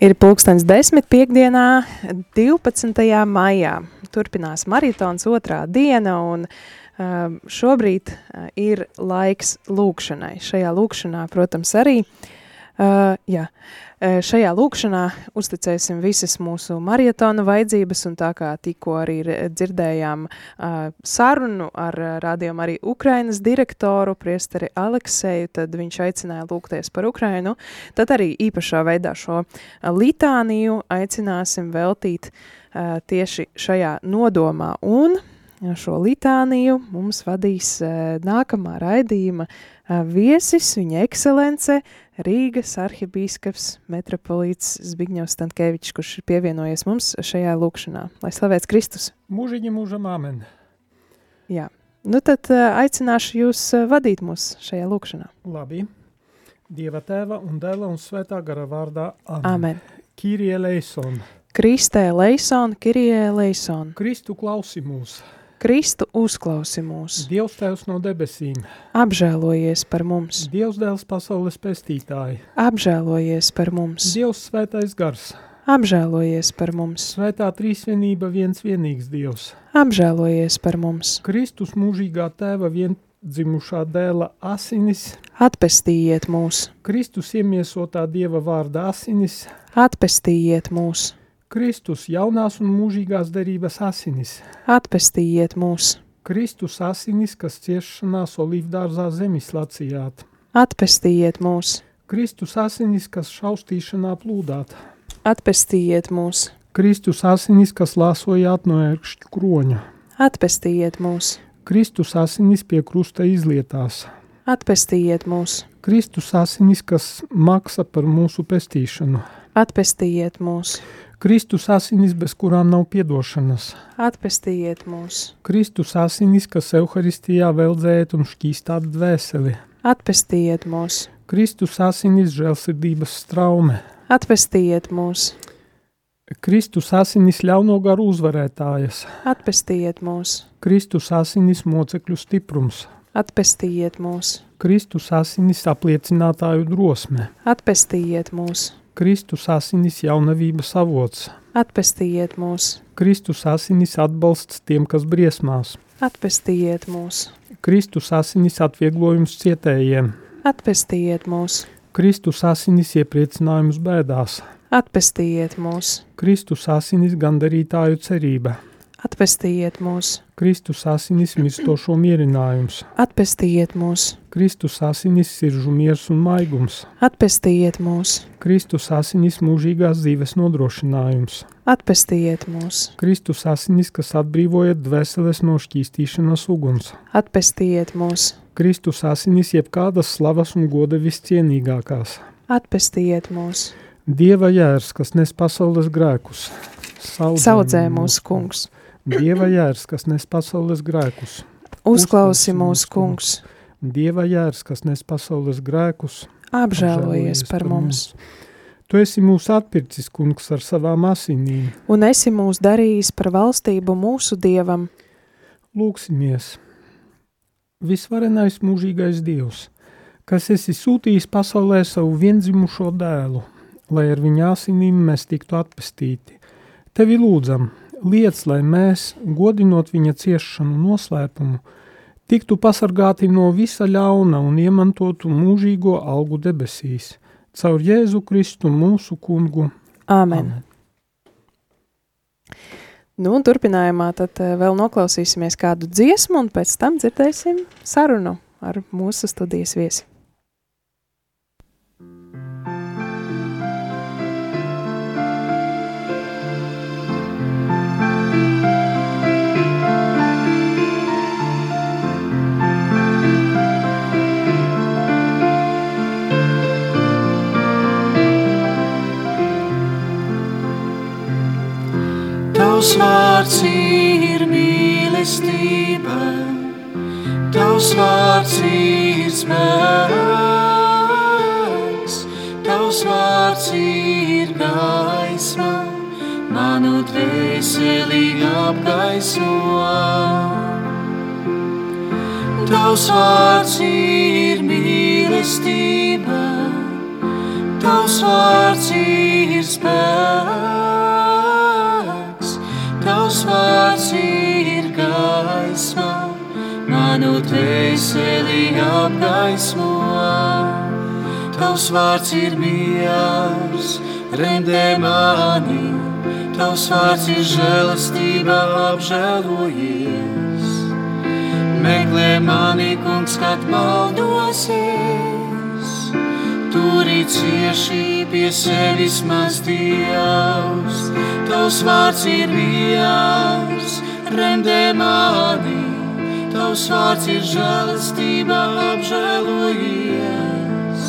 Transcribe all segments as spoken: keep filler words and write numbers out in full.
Ir pulkstens desmit piekdienā, divpadsmitajā maijā. Turpinās maratons otrā diena, un uh, šobrīd uh, ir laiks lūkšanai. Šajā lūkšanā, protams, arī uh, jā, uh, šajā lūkšanā uzticēsim visas mūsu maratona vajadzības, un tā kā tikko arī dzirdējām uh, sarunu ar uh, rādījumu arī Ukrainas direktoru, priesteri Alekseju, tad viņš aicināja lūgties par Ukrainu. Tad arī īpašā veidā šo uh, litāniju aicināsim veltīt uh, tieši šajā nodomā, un šo litāniju mums vadīs uh, nākamā raidījuma uh, viesis, viņa ekscelence, Rīgas arhibīskaps metropolīts Zbigņevs Stankēvičs, kurš ir pievienojies mums šajā lūkšanā. Lai slavēts Kristus! Mūžiņi mūžam āmen! Jā, nu tad uh, aicināšu jūs uh, vadīt mūs šajā lūkšanā. Labi. Dieva tēva un dēla un svētā gara vārdā. Amen. Amen. Kyrie eleison. Kristē eleison, Kyrie eleison. Kristu klausi mūs. Kristu uzklausi mūs. Dievs tēvs no debesīm. Apžēlojies par mums. Dievs dēls pasaules pestītāji. Apžēlojies par mums. Dievs svētais gars. Apžēlojies par mums. Svētā trīsvienība viens vienīgs Dievs. Apžēlojies par mums. Kristus mūžīgā tēva viendzimušā dēla asinis. Atpestījiet mūs. Kristus iemiesotā Dieva vārda asinis. Atpestījiet mūs. Kristus jaunās un mūžīgās derības asinis. Atpestījiet mūs. Kristus asinis, kas ciešanās olīvdārzā zemis lacījāt. Atpestījiet mūs. Kristus asinis, kas šaustīšanā plūdāt. Atpestījiet mūs. Kristus asinis, kas lāsojāt no ērkšķu kroņa. Atpestījiet mūs. Kristus asinis pie krusta izlietās. Atpestījiet mūs. Kristus asinis, kas maksa par mūsu pestīšanu. Atpestījiet mūs. Kristus asinis, bez kurām nav piedošanas. Atpestījiet mūs. Kristus asinis, kas Euharistijā veldzēt un šķīstāt dvēseli. Atpestījiet mūs. Kristus asinis, žēlsirdības straume. Atpestījiet mūs. Kristus asinis, ļauno garu uzvarētājas. Atpestījiet mūs. Kristus asinis, mocekļu stiprums. Atpestījiet mūs. Kristus asinis, apliecinātāju drosme. Atpestījiet mūs. Kristus asinis, jaunavības avots. Atpestījiet mūs. Kristus asinis, atbalsts tiem, kas briesmās. Atpestījiet mūs. Kristus asinis, atvieglojums cietējiem. Atpestījiet mūs. Kristus asinis, iepriecinājums bēdās. Atpestījiet mūs. Kristus asinis, gandarītāju cerība. Atpestījiet mūs. Kristus asinis, mirstošo mierinājums. Atpestījiet mūs. Kristus asinis, siržu miers un maigums. Atpestījiet mūs. Kristus asinis, mūžīgās dzīves nodrošinājums. Atpestījiet mūs. Kristus asinis, kas atbrīvojat dvēseles no šķīstīšanas uguns. Atpestījiet mūs. Kristus asinis, jebkādas slavas un goda viscienīgākās. Atpestījiet mūs. Dieva jērs, kas nes pasaules grēkus. Saudzē, Saudzē mūsu kungs. Dieva jērs, kas nes pasaules grēkus. Uzklausi mūsu kungs. Dieva jērs, kas nes pasaules grēkus. Apžēlojies par mums. Tu esi mūs atpircis, kungs, ar savām asinīm. Un esi mūs darījis par valstību mūsu Dievam. Lūksimies. Visvarenais mūžīgais Dievs, kas esi sūtījis pasaulē savu viendzimušo dēlu, lai ar viņa asinīm mēs tiktu atpestīti. Tevi lūdzam, liec, lai mēs, godinot viņa ciešanu noslēpumu, tiktu pasargāti no visa ļauna un iemantotu mūžīgo algu debesīs, caur Jēzu Kristu mūsu kungu. Āmen. Amen. Nu, un turpinājumā tad vēl noklausīsimies kādu dziesmu, un pēc tam dzirdēsim sarunu ar mūsu studijas viesi. Tavs vārds ir mīlestība, Tavs vārds ir spēks, Tavs vārds ir gaisma, manu dvēseli apgaismo. Tavs vārds ir mīlestība, Tavs vārds ir spēks, Tavs vārds ir gaisma, manu dvēseli apgaismo. Tavs vārds ir miers, remdē mani, Tavs vārds ir žēlastība, apžēlojies. Meklē mani, kungs, kad maldosies, turi cieši pie sevis mans Dievs. Tavs vārds ir miers, remdē mani, Tavs vārds ir žēlastība, apžēlojies.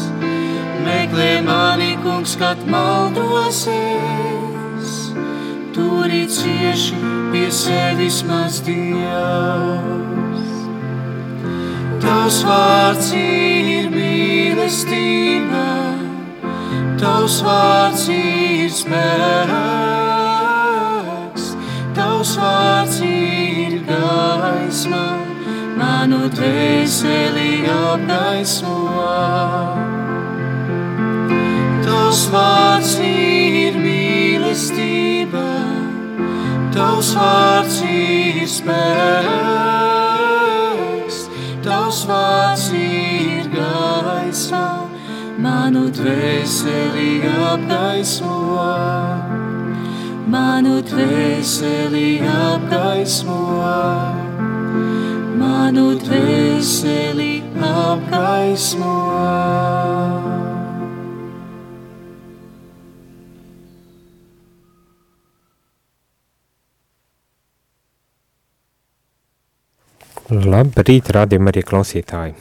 Meklē mani, kungs, kad maldosies, turi cieši pie sevis mans Dievs. Tavs vārds ir mīlestība, Tavs vārds ir spēks, Tavs vārds ir gaisma, manu dvēseli apgaismo. Tavs vārds ir mīlestība, Tavs vārds ir spēks, Tavs vārds ir gaisma, manu dvēseli apgaismo. Manu dvēseli apgaismo, manu dvēseli apgaismo. Labrīt, rādījumi arī klausītāji.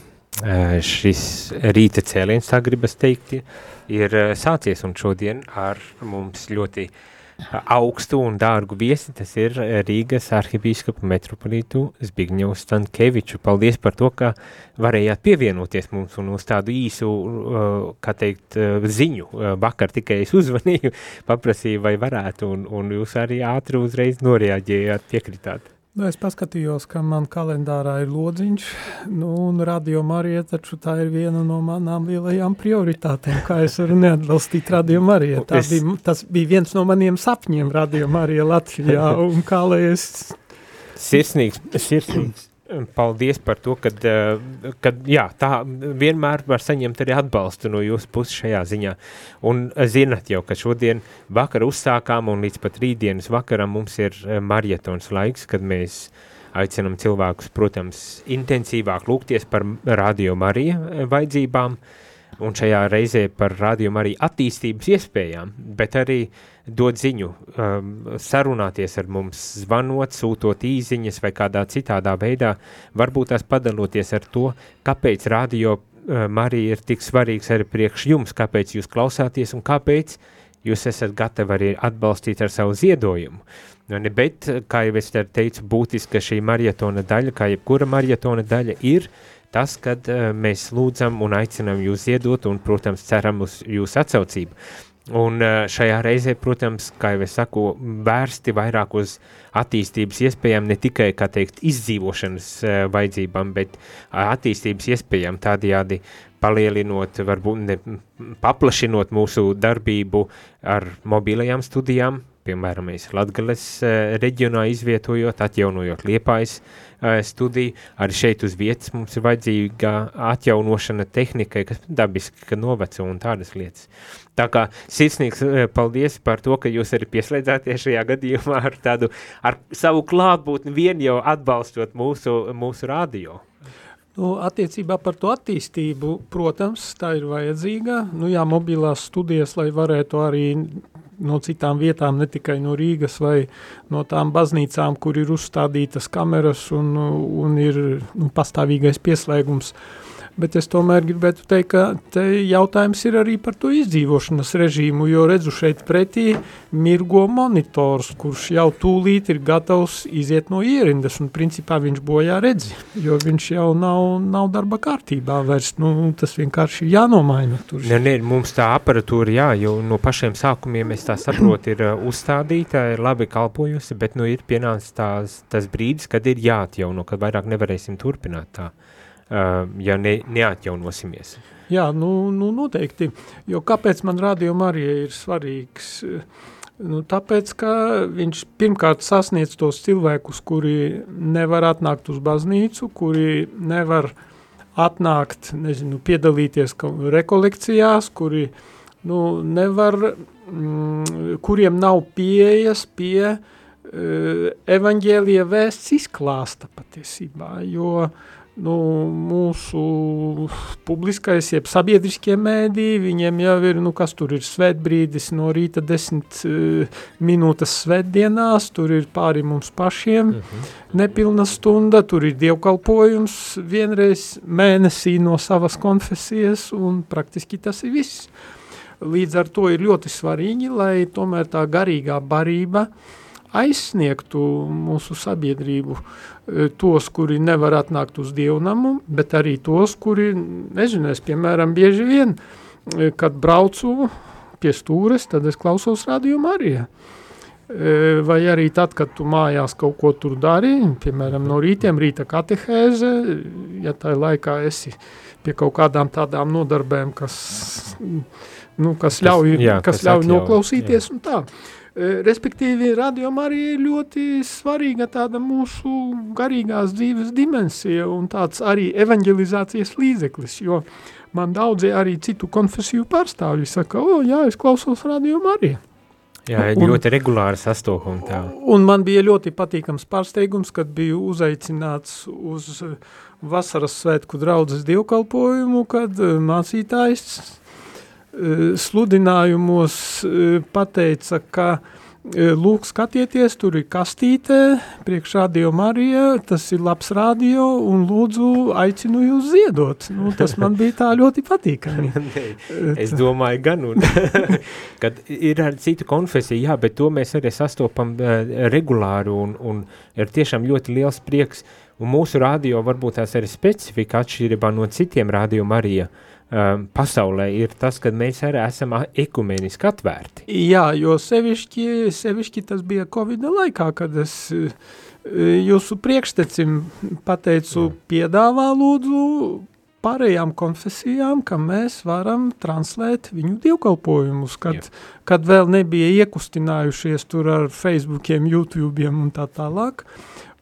Šis rīta cēliens, tā gribas teikt, ir sācies, un šodien ar mums ļoti augstu un dārgu viesi, tas ir Rīgas arhibīskapu metropolītu Zbigņevu Stankēviču. Paldies par to, ka varējāt pievienoties mums un uz tādu īsu, kā teikt, ziņu. Vakar tikai es uzvanīju, paprasīju, vai varētu, un, un jūs arī ātri uzreiz noreaģējāt, piekritāt. Nu, es paskatījos, ka man kalendārā ir lodziņš, nu, un Radio Marija, taču tā ir viena no manām lielajām prioritātēm, kā es varu neatbalstīt Radio Marija. Tā es... bija, tas bija viens no maniem sapņiem Radio Marija Latvijā, un kā lai es... Sirsnīgs, sirsnīgs. Paldies par to, kad, kad jā, tā vienmēr var saņemt arī atbalstu no jūsu puses šajā ziņā. Un zinat jau, ka šodien vakar uzsākām un līdz pat rītdienas vakaram mums ir marietons laiks, kad mēs aicinam cilvēkus, protams, intensīvāk lūgties par Radio Marija vajadzībām un šajā reizē par Radio Marija attīstības iespējām, bet arī dod ziņu, um, sarunāties ar mums, zvanot, sūtot īziņas vai kādā citādā veidā, varbūt tās padaloties ar to, kāpēc Radio uh, Marija ir tik svarīgs arī priekš jums, kāpēc jūs klausāties un kāpēc jūs esat gatavi arī atbalstīt ar savu ziedojumu. Bet, kā jau es teicu, būtiska šī marietona daļa, kā jebkura marietona daļa ir tas, kad uh, mēs lūdzam un aicinam jūs ziedot un, protams, ceram uz jūsu atsaucību. Un šajā reizē, protams, kā jau es saku, vērsti vairāk uz attīstības iespējām, ne tikai, kā teikt, izdzīvošanas vajadzībām, bet attīstības iespējām tādējādi palielinot, varbūt ne, paplašinot mūsu darbību ar mobilajām studijām, piemēram, mēs Latgales reģionā izvietojot, atjaunojot Liepājas studiju, arī šeit uz vietas mums ir vajadzīga atjaunošana tehnikai, kas dabiski, ka noveco un tādas lietas. Tā kā sirsnīgs paldies par to, ka jūs arī pieslēdzāties šajā gadījumā ar tādu, ar savu klātbūtni vien jau atbalstot mūsu, mūsu radio. Nu, attiecībā par to attīstību, protams, tā ir vajadzīga. Nu jā, mobilās studijas, lai varētu arī no citām vietām, ne tikai no Rīgas vai no tām baznīcām, kur ir uzstādītas kameras un, un ir nu, pastāvīgais pieslēgums. Bet es tomēr gribētu teikt, ka te jautājums ir arī par to izdzīvošanas režīmu, jo redzu šeit pretī mirgo monitors, kurš jau tūlīt ir gatavs iziet no ierindas, un principā viņš bojā redzi, jo viņš jau nav, nav darba kārtībā vairs, nu, tas vienkārši ir jānomaina. Tur. Ne, ne, mums tā aparatūra, jā, jo no pašiem sākumiem es tā saprotu, ir uzstādīta, ir labi kalpojusi, bet nu ir pienācis tās, tas brīdis, kad ir jāatjauno, kad vairāk nevarēsim turpināt tā. ja ne, neatjaunosimies. Jā, nu, nu noteikti, jo kāpēc man Radio Marija ir svarīgs? Nu, tāpēc, ka viņš pirmkārt sasniedz tos cilvēkus, kuri nevar atnākt uz baznīcu, kuri nevar atnākt, nezinu, piedalīties rekolekcijās, kuri nu, nevar, mm, kuriem nav pieejas pie uh, evaņģēlija vēsts izklāsta patiesībā, jo nu, mūsu publiskais, jeb sabiedriskie mēdī, viņiem jau ir, nu, kas tur ir svētbrīdis no rīta desmit uh, minūtes svētdienās, tur ir pāri mums pašiem, uh-huh. nepilna stunda, tur ir dievkalpojums vienreiz mēnesī no savas konfesijas, un praktiski tas ir viss. Līdz ar to ir ļoti svarīgi, lai tomēr tā garīgā barība aizsniegtu mūsu sabiedrību, tos, kuri nevar atnākt uz dievnamu, bet arī tos, kuri, nezinu, es, piemēram, bieži vien, kad braucu pie stūres, tad es klausos Radio Marija. Vai arī tad, kad tu mājās kaut ko tur dari, piemēram, no rītiem, rīta katehēze, ja tā laikā esi pie kaut kādām tādām nodarbēm, kas, nu, kas ļauj, jā, kas kas ļauj atļauj, noklausīties jā. Un tā. Respektīvi, Radio Marija ir ļoti svarīga tāda mūsu garīgās dzīves dimensija un tāds arī evanģelizācijas līdzeklis, jo man daudzi arī citu konfesiju pārstāvji saka, o, jā, es klausos Radio Marija. Jā, un, ļoti regulāri sastopumi tā. Un man bija ļoti patīkams pārsteigums, kad biju uzaicināts uz vasaras svētku draudzes dievkalpojumu, kad mācītājs sludinājumos pateica, ka lūk, skatieties, tur ir kastīte, priekš Radio Marija, tas ir labs radio un lūdzu aicinu jūs ziedot. Nu, tas man bija tā ļoti patīkami. Es domāju gan, un, kad ir ar citu konfesiju, jā, bet to mēs arī sastopam regulāri un, un ir tiešām ļoti liels prieks. Un mūsu radio varbūt tās arī specifika atšķirībā no citiem Radio Marija um, pasaulē ir tas, ka mēs arī esam ekumeniski atvērti. Jā, jo sevišķi, sevišķi tas bija Covida laikā, kad es jūsu priekštecim pateicu, Jā. piedāvā lūdzu pārējām konfesijām, ka mēs varam translēt viņu dievkalpojumus, kad, kad vēl nebija iekustinājušies tur ar Facebookiem, YouTubeiem un tā tālāk.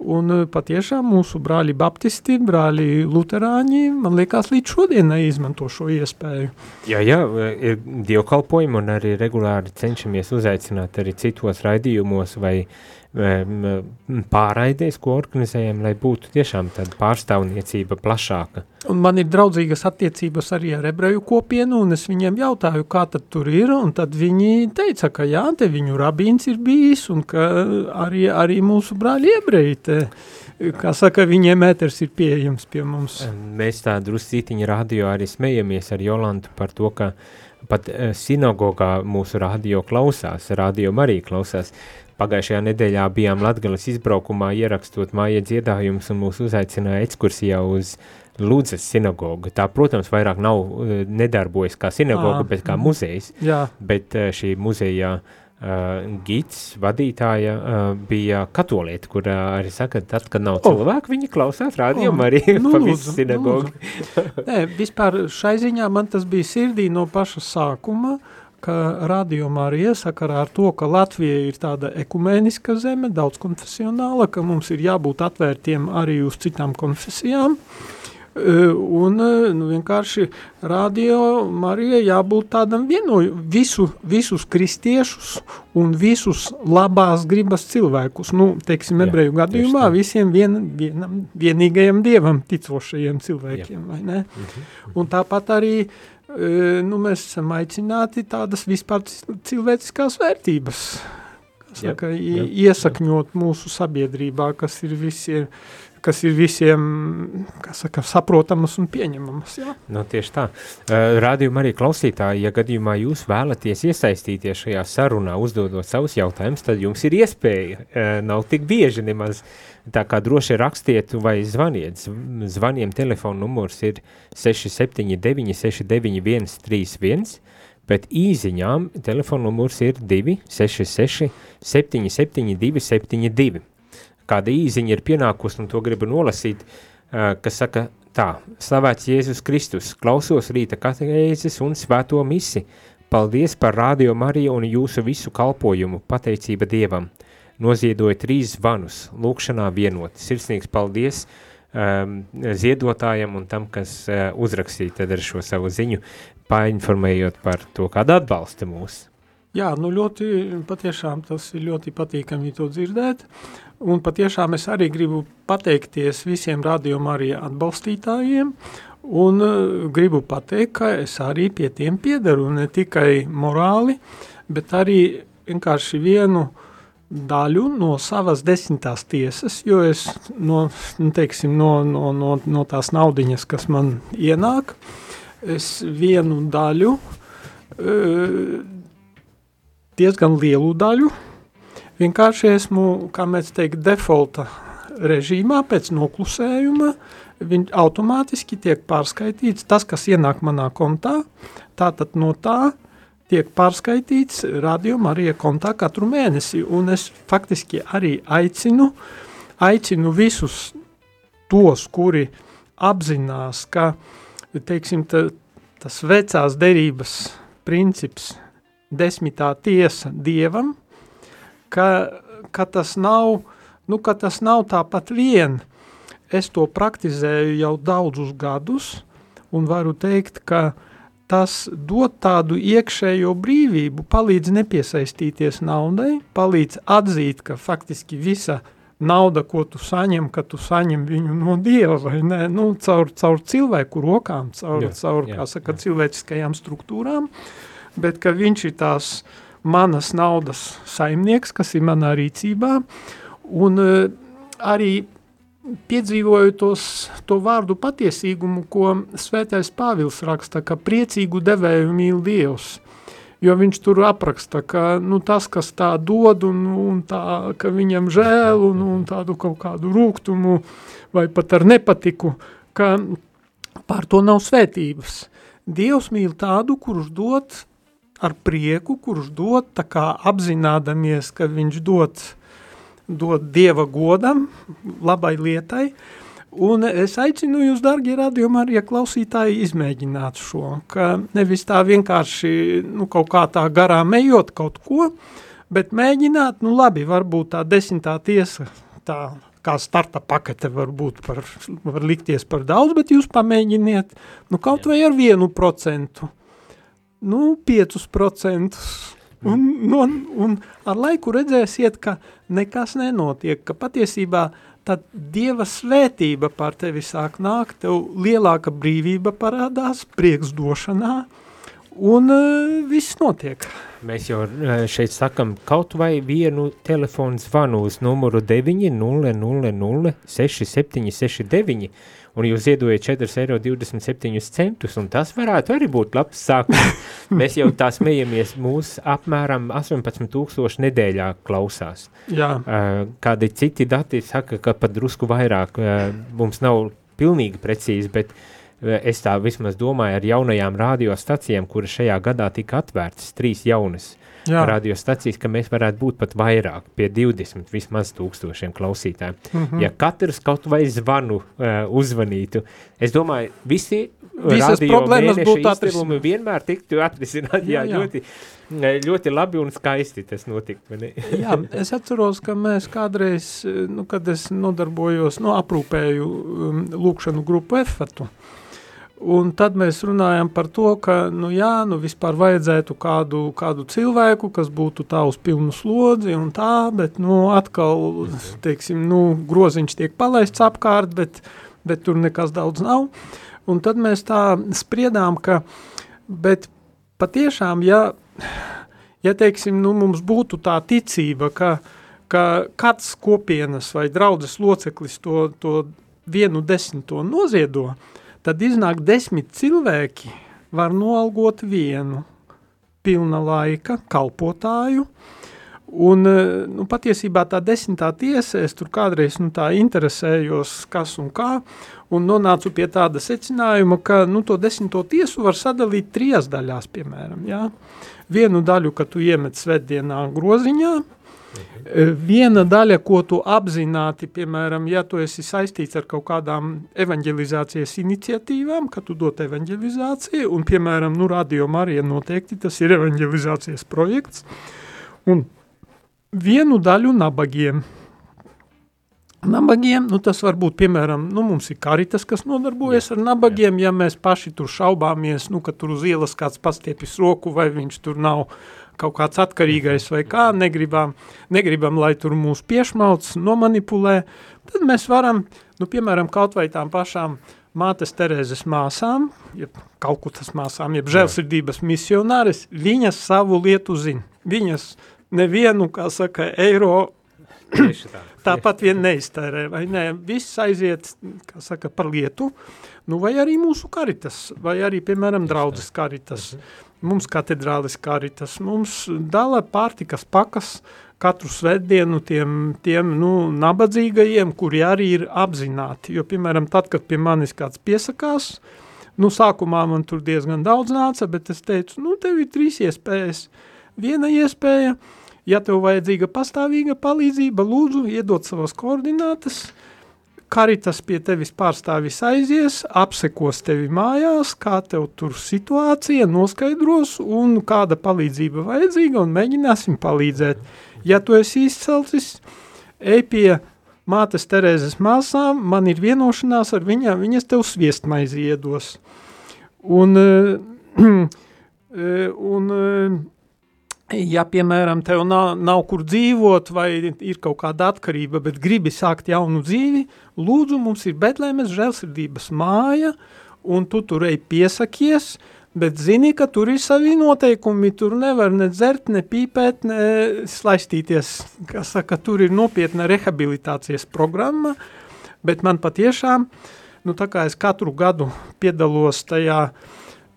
Un patiešām mūsu brāļi baptisti, brāļi luterāņi, man liekas, līdz šodienai izmanto šo iespēju. Jā, jā, ir dievkalpojumi un arī regulāri cenšamies uzaicināt arī citos raidījumos vai pārraidēs, ko organizējam, lai būtu tiešām tāda pārstāvniecība plašāka. Un man ir draudzīgas attiecības arī ar ebreju kopienu, un es viņiem jautāju, kā tad tur ir, un tad viņi teica, ka jā, te viņu rabīns ir bijis, un ka arī, arī mūsu brāļi ebreji te, kā saka, viņiem ēters ir pieejams pie mums. Mēs tā druscītiņa radio arī smejamies ar Jolantu par to, ka pat sinagogā mūsu radio klausās, Radio Marija klausās. Pagājušajā nedēļā bijām Latgales izbraukumā ierakstot māja dziedājumus un mūs uzaicināja ekskursijā uz Ludzas sinagogu. Tā, protams, vairāk nav nedarbojas kā sinagoga, à, bet kā muzejs. Jā. Bet šī muzejā uh, gids, vadītāja uh, bija katolieta, kur uh, arī saka, tad, kad nav cilvēku, oh. viņi klausās Radio Marija oh, nu, pa visu sinagogu. Nē, vispār šai ziņā man tas bija sirdī no paša sākuma, ka Radio Marija sakarā ar to, ka Latvija ir tāda ekumēniska zeme, daudz konfesionāla, ka mums ir jābūt atvērtiem arī uz citām konfesijām, un nu, vienkārši Radio Marija jābūt tādam vienoju, visu, visus kristiešus un visus labās gribas cilvēkus, nu, teiksim, ebreju gadījumā, visiem vien, vienam, vienīgajam dievam ticošajiem cilvēkiem, Jā. vai ne? Mhm. Un tāpat arī nu, mēs esam aicināti tādas vispār cilvēciskās vērtības, kas saka, jā, iesakņot mūsu sabiedrībā, kas ir visiem, kas ir visiem, kas saka, saprotamas un pieņemamas. Jā. Nu, tieši tā. Uh, Radio Marija klausītāji, ja gadījumā jūs vēlaties iesaistīties šajā sarunā, uzdodot savus jautājumus, tad jums ir iespēja. Uh, nav tik bieži nemaz. Tā kā droši rakstiet vai zvaniet. Zvaniem telefona numurs ir seši septiņi deviņi seši deviņi viens trīs viens, bet īziņām telefona numurs ir divi seši seši septiņi septiņi divi septiņi divi. Kāda īziņa ir pienākusi, un to gribu nolasīt, kas saka, Tā, slavēts Jēzus Kristus, klausos rīta katehēzes un svēto misi. Paldies par Radio Mariju un jūsu visu kalpojumu, pateicība Dievam. Noziedoja trīs zvanus, lūkšanā vienot. Sirsnīgs paldies um, ziedotājam un tam, kas uh, uzrakstīja tad ar šo savu ziņu, painformējot par to, kāda atbalsta mūs. Jā, nu ļoti, patiešām tas ir ļoti patīkami to dzirdēt, un patiešām es arī gribu pateikties visiem Radio Marija atbalstītājiem, un uh, gribu pateikt, ka es arī pie tiem piedaru, ne tikai morāli, bet arī vienkārši vienu daļu no savas desmitās tiesas, jo es no, nu, teiksim, no, no, no, no tās naudiņas, kas man ienāk, es vienu daļu uh, diezgan lielu daļu, vienkārši esmu, kā mēs teikt, defaulta režīmā pēc noklusējuma, viņš automātiski tiek pārskaitīts tas, kas ienāk manā kontā, tātad no tā tiek pārskaitīts Radio Marija kontā katru mēnesi, un es faktiski arī aicinu, aicinu visus tos, kuri apzinās, ka, teiksim, ta, tas vecās derības princips, desmitā tiesa Dievam, ka, ka, tas nav, nu, ka tas nav tāpat vien. Es to praktizēju jau daudzus gadus un varu teikt, ka tas dod tādu iekšējo brīvību, palīdz nepiesaistīties naudai, palīdz atzīt, ka faktiski visa nauda, ko tu saņem, ka tu saņem viņu no Dieva, vai ne, nu, caur, caur cilvēku rokām, caur, jā, caur jā, kā saka, jā. cilvēciskajām struktūrām, bet ka viņš ir tās manas naudas saimnieks, kas ir manā rīcībā, un uh, arī piedzīvoju tos, to vārdu patiesīgumu, ko Svētais Pāvils raksta, ka priecīgu devēju mīl Dievs, jo viņš tur apraksta, ka nu, tas, kas tā dod, un, un tā, ka viņam žēl, un, un tādu kaut kādu rūgtumu, vai pat ar nepatiku, ka pār to nav svētības. Dievs mīl tādu, kurš dod ar prieku, kurš dod tā kā apzinādamies, ka viņš dod, dod Dieva godam, labai lietai, un es aicinu jūs, dargie Radio Marija klausītāji, izmēģināt šo, ka nevis tā vienkārši, nu, kaut kā tā garām ejot kaut ko, bet mēģināt, nu labi, varbūt tā desmitā tiesa, tā kā starta pakete var būt par, var likties par daudz, bet jūs pamēģiniet, nu, kaut vai ar vienu procentu, nu, piecus procentus, un, un, un ar laiku redzēsiet, ka nekas nenotiek, ka patiesībā tad Dieva svētība pār tevi sāk nākt, tev lielāka brīvība parādās, prieks došanā, un uh, viss notiek. Mēs jau šeit sakam kaut vai vienu telefonu zvanu uz numuru deviņi nulle nulle nulle seši septiņi seši deviņi, un jūs ziedojat četri eiro divdesmit septiņi centus, un tas varētu arī būt labs sākums. Mēs jau tā smejamies, mūs apmēram astoņpadsmit tūkstoši nedēļā klausās. Jā. Kādi citi dati saka, ka pat drusku vairāk, mums nav pilnīgi precīzi, bet es tā vismaz domāju ar jaunajām radiostacijām, kuras šajā gadā tika atvērtas, trīs jaunas Jā. radiostacijas, ka mēs varētu būt pat vairāk, pie divdesmit vismaz tūkstošiem klausītājiem. Mm-hmm. Ja katrs kaut vai zvanu uh, uzvanītu, es domāju, visi Visas radio mēneša izdevumi vienmēr tiktu atrisināt. Jā, jā, jā. Ļoti, ļoti labi un skaisti tas notikt. Jā, es atceros, ka mēs kādreiz, nu, kad es nodarbojos, nu, aprūpēju um, lūkšanu grupu Efatu, un tad mēs runājam par to, ka, nu jā, nu vispār vajadzētu kādu, kādu cilvēku, kas būtu tā uz pilnu slodzi un tā, bet, nu, atkal, teiksim, nu, groziņš tiek palaists apkārt, bet, bet tur nekas daudz nav. Un tad mēs tā spriedām, ka, bet patiešām, ja, ja teiksim, nu, mums būtu tā ticība, ka, ka kāds kopienas vai draudzes loceklis to, to vienu desmito noziedo, tad iznāk desmit cilvēki var noalgot vienu pilna laika kalpotāju, un, nu, patiesībā tā desmitā tiesa, es tur kādreiz, nu, tā interesējos, kas un kā, un nonācu pie tāda secinājuma, ka, nu, to desmito tiesu var sadalīt trijās daļās, piemēram, jā. Vienu daļu, ka tu iemet svētdienā groziņā, Viena daļa, ko tu apzināti, piemēram, ja tu esi saistīts ar kaut kādām evanģelizācijas iniciatīvām, ka tu dot evanģelizāciju, un, piemēram, nu, Radio Marija noteikti tas ir evanģelizācijas projekts, un vienu daļu nabagiem. Nabagiem, nu tas var būt, piemēram, nu mums ir Karitas, kas nodarbojas jā, ar nabagiem, jā. Ja mēs paši tur šaubāmies, nu, ka tur uz ielas kāds pastiepis roku, vai viņš tur nav kaut kāds atkarīgais vai kā, negribam, negribam, lai tur mūs piešmauc, nomanipulē, tad mēs varam, nu, piemēram, kaut vai tām pašām Mātes Terēzes māsām, jeb Kalkutas māsām, jeb žēlsirdības misionāres, viņas savu lietu zina. Viņas nevienu, kā saka, eiro tā. Tāpat vien neiztērē, vai ne, viss aiziet, kā saka, par lietu, nu vai arī mūsu Karitas, vai arī, piemēram, draudzes Karitas, mums katedrālis Karitas, mums dala pārtikas pakas katru svētdienu tiem, tiem nu, nabadzīgajiem, kuri arī ir apzināti, jo, piemēram, tad, kad pie manis kāds piesakās, nu, sākumā man tur diezgan daudz nāca, bet es teicu, nu, tev ir trīs iespējas, viena iespēja, ja tev vajadzīga pastāvīga palīdzība, lūdzu, iedot savas koordinātas, Karitas pie tevis pārstāvis aizies, apsekos tevi mājās, kā tev tur situācija, noskaidros un kāda palīdzība vajadzīga un mēģināsim palīdzēt. Ja tu esi izcelcis, ej pie Mātes Terēzes māsām, man ir vienošanās ar viņām, viņas tev sviestmaizi iedos. Un, un ja, piemēram, tev nav, nav kur dzīvot vai ir kaut kāda atkarība, bet gribi sākt jaunu dzīvi, lūdzu, mums ir Betlēmes žēlsirdības māja, un tu tur ej piesakies, bet zini, ka tur ir savi noteikumi, tur nevar ne dzert, ne pīpēt, ne slaistīties, kā saka, tur ir nopietna rehabilitācijas programma, bet man patiešām, nu tā kā es katru gadu piedalos tajā,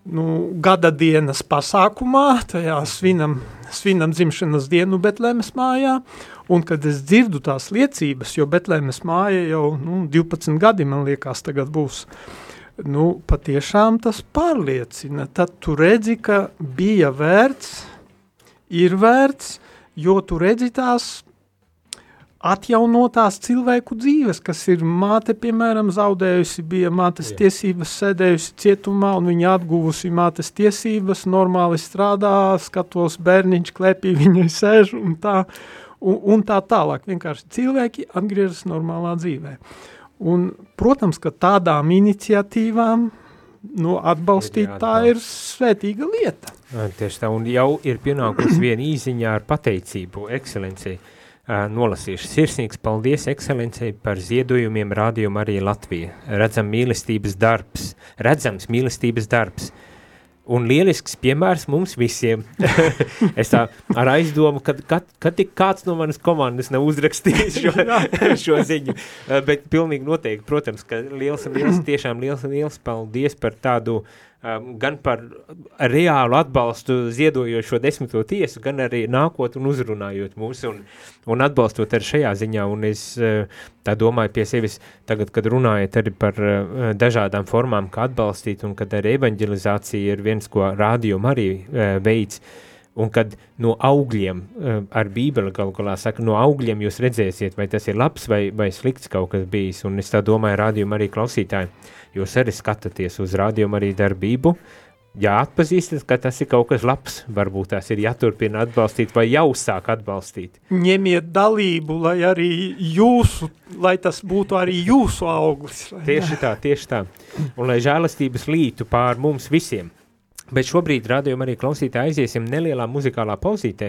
nu, gada dienas pasākumā, tajā svinam, svinam dzimšanas dienu Betlēmes mājā, un kad es dzirdu tās liecības, jo Betlēmes māja jau, nu, divpadsmit gadi, man liekas, tagad būs, nu, patiešām tas pārliecina, tad tu redzi, ka bija vērts, ir vērts, jo tu redzi tās atjaunotās cilvēku dzīves, kas ir māte, piemēram, zaudējusi, bija mātes Jā. tiesības, sēdējusi cietumā, un viņa atguvusi mātes tiesības, normāli strādā, skatos bērniņš klēpī, viņai sēž, un tā, un, un tā tālāk. Vienkārši cilvēki atgriežas normālā dzīvē. Un, protams, ka tādām iniciatīvām, nu, atbalstīt, tā ir svētīga lieta. Tieši tā, un jau ir pienākusi viena īziņā ar pateicību, ekscelencei. Uh, nolasīšu. Sirsnīgs paldies ekscelencei par ziedojumiem Radio Marija Latvija. Redzam mīlestības darbs. Redzams mīlestības darbs. Un lielisks piemērs mums visiem. Es tā ar aizdomu, kad, kad, kad tik kāds no manas komandas nav uzrakstījis šo, šo ziņu. Uh, bet pilnīgi noteikti, protams, ka liels, liels, tiešām liels, liels paldies par tādu Um, gan par reālu atbalstu ziedojošo desmito tiesu, gan arī nākot un uzrunājot mūs un, un atbalstot arī šajā ziņā. Un es uh, tā domāju pie sevis tagad, kad runājat arī par uh, dažādām formām, kā atbalstīt, un kad arī evanģelizācija ir viens, ko Radio Marija uh, veids, un kad no augļiem, uh, ar Bībeli galu galā saka, no augļiem jūs redzēsiet, vai tas ir labs vai, vai slikts kaut kas bijis. Un es tā domāju, Radio Marija klausītāji, jūs arī skatāties uz Radio Marija darbību, ja atpazīstat, ka tas ir kaut kas labs, varbūt tās ir jāturpina atbalstīt vai jau sāk atbalstīt. Ņemiet dalību, lai arī jūsu, lai tas būtu arī jūsu auglis. Tieši tā, tieši tā. Un lai žēlastības lītu pār mums visiem. Bet šobrīd Radio Marija klausītāji aiziesim nelielā muzikālā pauzītē,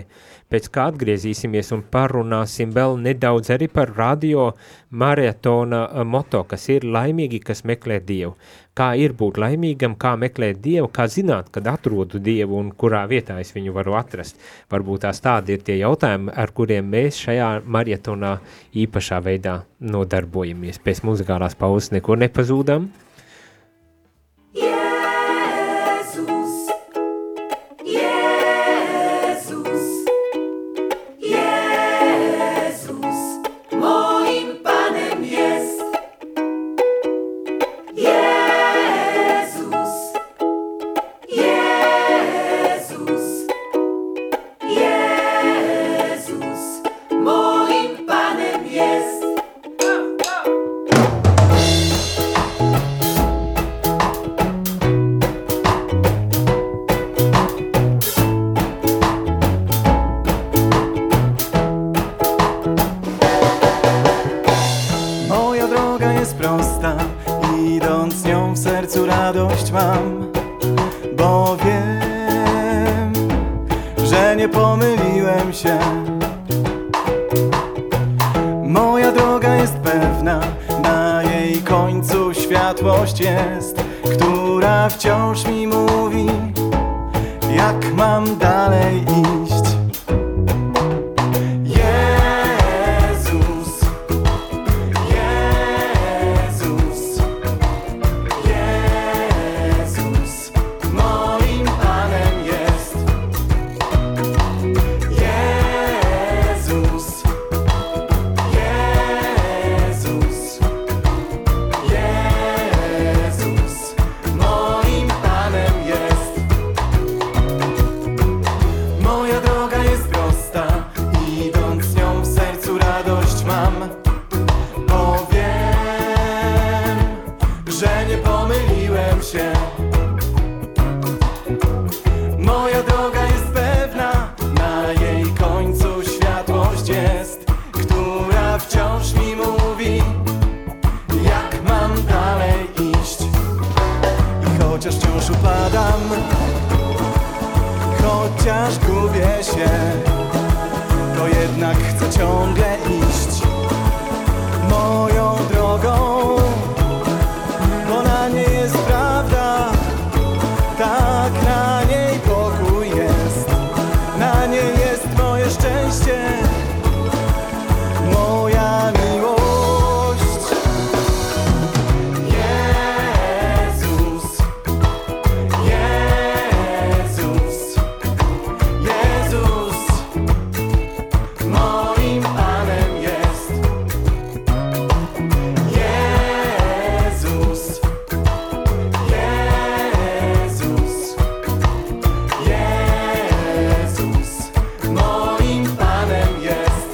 pēc kā atgriezīsimies un parunāsim vēl nedaudz arī par Radio maratona moto, kas ir laimīgi, kas meklē Dievu. Kā ir būt laimīgam, kā meklēt Dievu, kā zināt, kad atrodu Dievu un kurā vietā es viņu varu atrast. Varbūt tās tādi ir tie jautājumi, ar kuriem mēs šajā maratonā īpašā veidā nodarbojamies. Pēc muzikālās pauzes nekur nepazūdam. droga jest prosta, idąc nią w sercu radość mam, bo wiem, że nie pomyliłem się. Moja droga jest pewna, na jej końcu światłość jest, która wciąż mi mówi, jak mam dalej iść. Jezus, Jezus, Jezus, moim Panem jest. Jezus, Jezus, Jezus, moim Panem jest. Moja droga jest prosta, idąc nią w sercu radość mam, bo wiem, że nie pomyliłem się. Moja droga jest pewna, na jej końcu światłość jest, która wciąż mi mówi, jak mam dalej iść. I chociaż wciąż upadam, chociaż gubię się, to jednak chcę ciągle iść moją drogą, bo na niej jest prawda, tak, na niej pokój jest, na niej jest moje szczęście, moja miłość. Jezus, Jezus, Jezus, moim Panem jest. Jezus, Jezus, Jezus, moim Panem jest.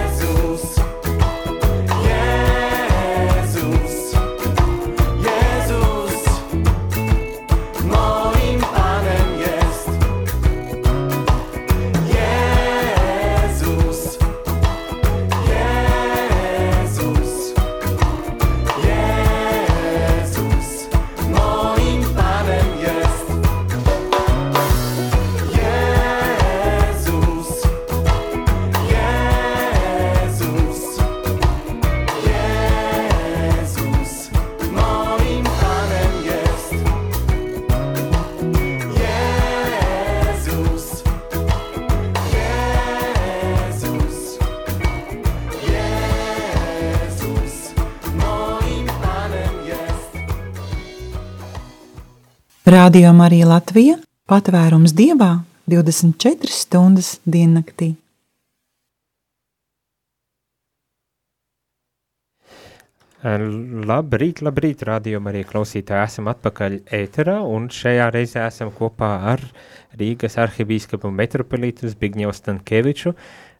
Jezus, Jezus, Jezus, moim Panem jest. Jezus, Jezus, Jezus, moim Panem jest. Jezus, Jezus, Jezus, moim Panem jest. Jezus, Jezus, Jezus, moim Panem jest. Radio Marija Latvija – patvērums Dievā divdesmit četras stundas diennaktī. Labrīt, labrīt, rādījuma arī klausītāji, esam atpakaļ ēterā, un šajā reizē esam kopā ar Rīgas arhibīskapu metropolītu Zbigņevu Stankeviču.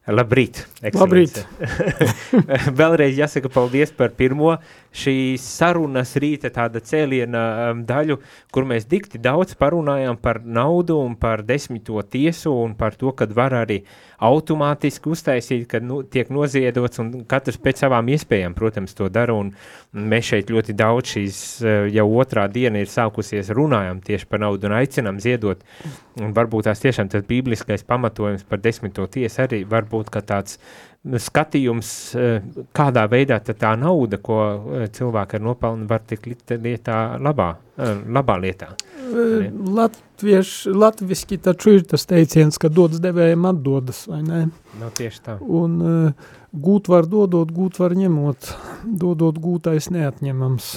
Labrīt, ekscelence. Labrīt. Vēlreiz jāsaka paldies par pirmo šī sarunas rīta tāda cēliena um, daļu, kur mēs dikti daudz parunājām par naudu un par desmito tiesu un par to, kad var arī automātiski uztaisīt, kad nu, tiek noziedots un katrs pēc savām iespējām, protams, to dara, un mēs šeit ļoti daudz šīs jau otrā diena ir sākusies runājām tieši par naudu un aicinām ziedot, un varbūt tās tiešām tas bībliskais pamatojums par desmito tiesu arī varbūt kā tāds skatījums, kādā veidā tā nauda, ko cilvēki ar nopelnu var tik lietā labā, labā lietā. Latvieši, latviski taču ir tas teiciens, ka dodas devējiem atdodas, vai ne? No tieši tā. Un uh, gūt var dodot, gūt var ņemot, dodot gūtais neatņemams.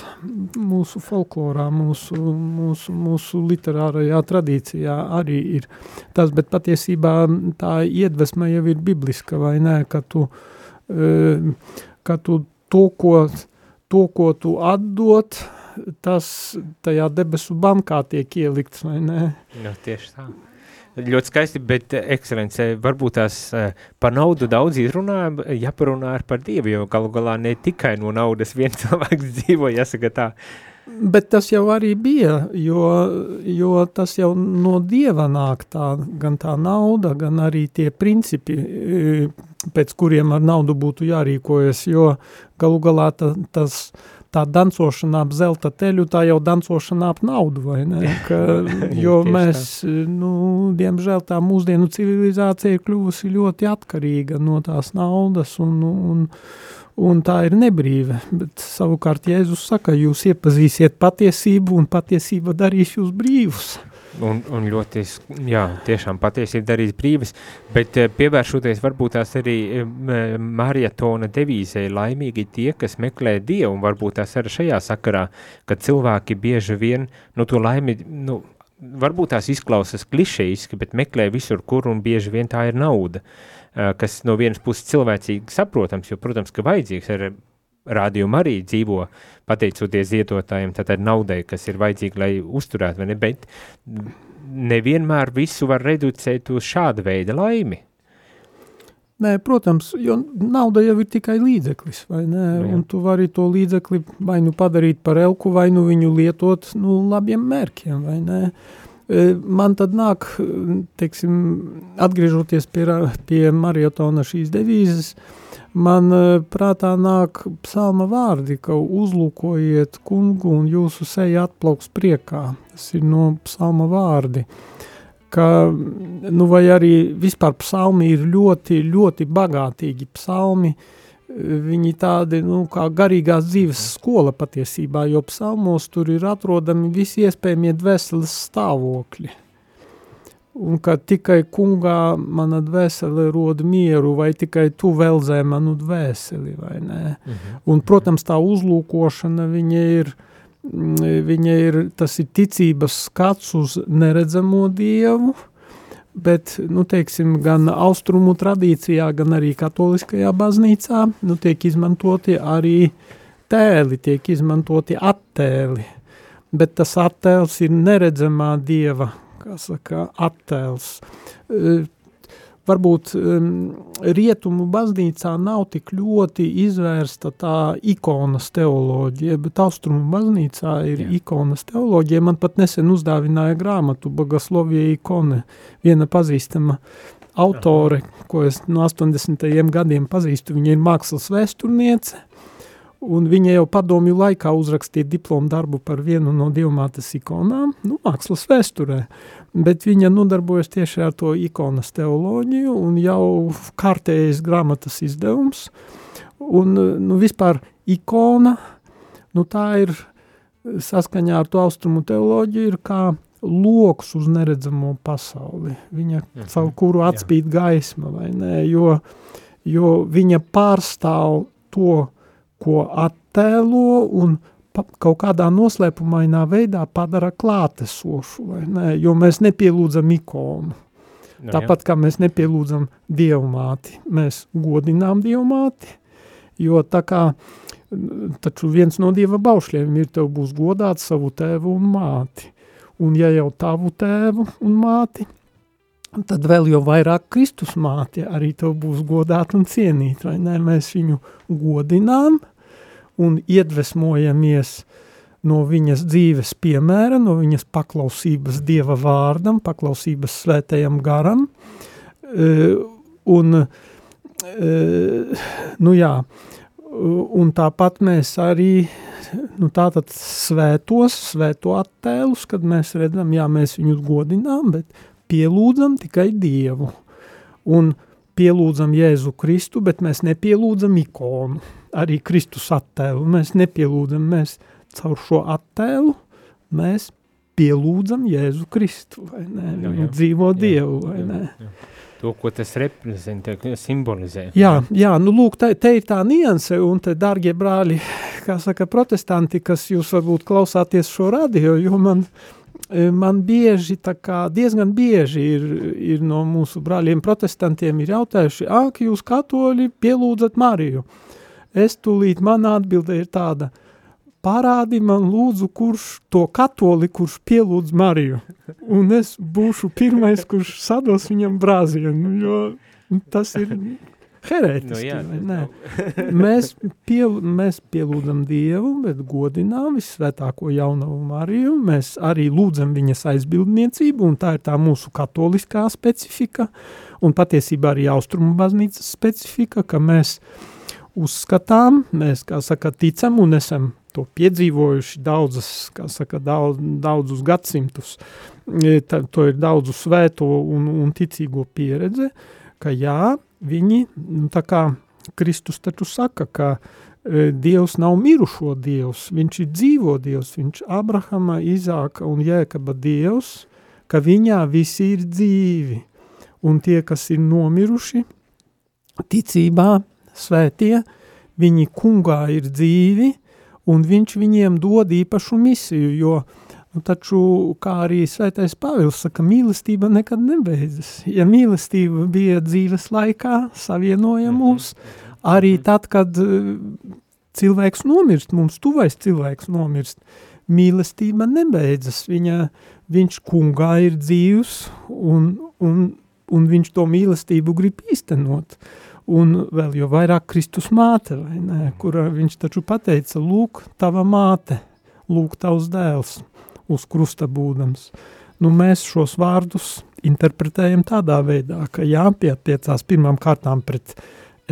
Mūsu folklorā, mūsu, mūsu, mūsu literārajā tradīcijā arī ir tas, bet patiesībā tā iedvesma jau ir bibliska, vai ne, ka tu, uh, ka tu to, ko to, ko tu atdot, tas tajā debesu bankā tiek ielikts, vai ne? Nu, tieši tā. Ļoti skaisti, bet ekscelence, varbūt tās par naudu daudz izrunājam, jāparunā ar par Dievu, jo galu galā ne tikai no naudas viens cilvēks dzīvo, jāsaka tā. Bet tas jau arī bija, jo, jo tas jau no Dieva nāk tā, gan tā nauda, gan arī tie principi, pēc kuriem ar naudu būtu jārīkojas, jo galu galā ta, tas tā dancošana ap zelta teļu, tā jau dancošana ap naudu, vai ne? Ka, jo mēs, nu, diemžēl tā mūsdienu civilizācija ir kļuvusi ļoti atkarīga no tās naudas, un, un, un tā ir nebrīve. Bet savukārt Jēzus saka, jūs iepazīsiet patiesību, un patiesība darīs jūs brīvus. Un, un ļoti, jā, tiešām patiesība darīs brīvas, bet pievēršoties varbūt tās arī marietona devīzei laimīgi tie, kas meklē Dievu, un varbūt tās arī šajā sakarā, kad cilvēki bieži vien, nu, to laimi, nu, varbūt tās izklausas klišejiski, bet meklē visur, kur, un bieži vien tā ir nauda, kas no vienas puses cilvēcīgi saprotams, jo, protams, ka vajadzīgs ir rādījuma arī dzīvo, pateicoties ziedotājiem, tātad naudai, kas ir vajadzīga, lai uzturētu, vai ne, bet nevienmēr visu var reducēt uz šāda veida laimi. Nē, protams, jo nauda jau ir tikai līdzeklis, vai ne, Jā. un tu vari to līdzekli vai nu padarīt par elku, vai nu viņu lietot, nu, labiem mērķiem, vai ne. Man tad nāk, teiksim, atgriežoties pie, pie marietona šīs devīzes, man prātā nāk psalma vārdi, ka uzlūkojiet kungu un jūsu seja atplauks priekā. Tas ir no psalma vārdi. Ka, nu vai arī vispār psalmi ir ļoti, ļoti bagātīgi psalmi. Viņi tādi, nu, kā garīgās dzīves skola patiesībā, jo psalmos tur ir atrodami visi iespējamie dvēseles stāvokļi. Un ka tikai kungā mana dvēsele rod mieru, vai tikai tu velzē manu dvēseli, vai nē. Mhm. Un, protams, tā uzlūkošana, viņa ir, viņa ir, tas ir ticības skats uz neredzamo Dievu, bet, nu, teiksim, gan austrumu tradīcijā, gan arī katoliskajā baznīcā, nu, tiek izmantoti arī tēli, tiek izmantoti attēli, bet tas attēls ir neredzamā Dieva, kā saka, attēls. E, varbūt um, rietumu baznīcā nav tik ļoti izvērsta tā ikonas teoloģija, bet austrumu baznīcā ir Jā. ikonas teoloģija. Man pat nesen uzdāvināja grāmatu Bogoslovija ikone, viena pazīstama autore, Aha. ko es no astoņdesmitajiem gadiem pazīstu, viņa ir mākslas vēsturniece, un viņa jau padomju laikā uzrakstīja diplomu darbu par vienu no Dievmātes ikonām, nu, mākslas vēsturē, bet viņa nodarbojas tieši ar to ikonas teoloģiju, un jau kārtējas grāmatas izdevums, un, nu, vispār ikona, nu, tā ir saskaņā ar to austrumu teoloģiju, ir kā loks uz neredzamo pasauli, viņa, mhm. caur kuru atspīd Jā. gaisma, vai ne, jo, jo viņa pārstāv to, ko attēlo un pa, kaut kādā noslēpumainā veidā padara klātesošu, vai ne, jo mēs nepielūdzam ikonu. No, Tāpat, jā. kā mēs nepielūdzam Dievmāti, mēs godinām Dievmāti, jo tā kā, taču viens no Dieva baušļiem ir, tev būs godāt savu tēvu un māti, un ja jau tavu tēvu un māti, tad vēl jau vairāk Kristus māti arī tev būs godāt un cienīt, vai ne? Mēs viņu godinām un iedvesmojamies no viņas dzīves piemēra, no viņas paklausības Dieva vārdam, paklausības svētajam garam, un, nu jā, un tāpat mēs arī, nu tātad svētos, svēto attēlus, kad mēs redzam, jā, mēs viņus godinām, bet pielūdzam tikai Dievu un pielūdzam Jēzu Kristu, bet mēs nepielūdzam ikonu, arī Kristus attēlu. Mēs nepielūdzam, mēs caur šo attēlu, mēs pielūdzam Jēzu Kristu, vai ne? Jā, jā. Dzīvo jā, Dievu, vai jā, ne? Jā. To, ko tas reprezentē, simbolizē. Jā, jā, nu lūk, te, te ir tā nianse, un te, dārgie brāļi, kā saka protestanti, kas jūs varbūt klausāties šo radio, jo man Man bieži, tā kā diezgan bieži ir, ir no mūsu brāļiem protestantiem ir jautājuši, ak, jūs katoļi pielūdzat Mariju. Es tūlīt, mana atbilde ir tāda, parādi man lūdzu, kurš to katoli, kurš pielūdz Mariju, un es būšu pirmais, kurš sados viņam brāzienu, jo tas ir herētiski, Nu jā, vai ne? Mēs, piel, mēs pielūdzam Dievu, bet godinām visvētāko jaunavu Mariju, mēs arī lūdzam viņas aizbildniecību, un tā ir tā mūsu katoliskā specifika, un patiesībā arī austrumu baznīcas specifika, ka mēs uzskatām, mēs, kā saka, ticam un esam to piedzīvojuši daudzas, kā saka, daudz, daudzus gadsimtus. Tā, to ir daudzu svēto un, un ticīgo pieredze, ka jā, viņi, nu, tā kā Kristus taču saka, ka e, Dievs nav mirušo Dievs, viņš ir dzīvo Dievs, viņš Abrahama, Izāka un Jēkaba Dievs, ka viņā visi ir dzīvi, un tie, kas ir nomiruši, ticībā, svētie, viņi kungā ir dzīvi, un viņš viņiem dod īpašu misiju, jo nu, taču, kā arī svētais Pāvils saka, mīlestība nekad nebeidzas. Ja mīlestība bija dzīves laikā, savienoja mūs, arī tad, kad cilvēks nomirst, mums tuvais cilvēks nomirst, mīlestība nebeidzas. Viņa, viņš kungā ir dzīvs, un, un, un viņš to mīlestību grib īstenot. Un vēl jau vairāk Kristus māte, vai ne, kura viņš taču pateica, lūk, tava māte, lūk, tavs dēls, uz krusta būdams. Nu, mēs šos vārdus interpretējam tādā veidā, ka jāpietiecās pirmām kārtām pret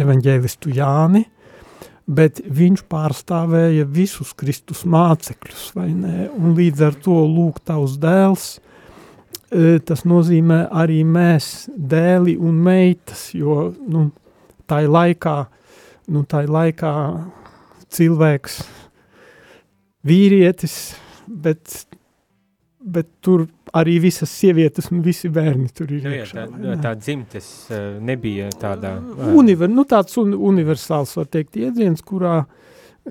evaņģēlistu Jāni, bet viņš pārstāvēja visus Kristus mācekļus, vai ne, un līdz ar to lūk, tavs dēls, tas nozīmē arī mēs, dēli un meitas, jo, nu, tai laikā, nu, tai laikā cilvēks, vīrietis, bet, bet tur arī visas sievietes un visi bērni tur ir Nu, jā, iekšā. tā, tā dzimtes uh, nebija tādā... Uh, Univer, nu, tāds un, universāls, var teikt, iedziens, kurā,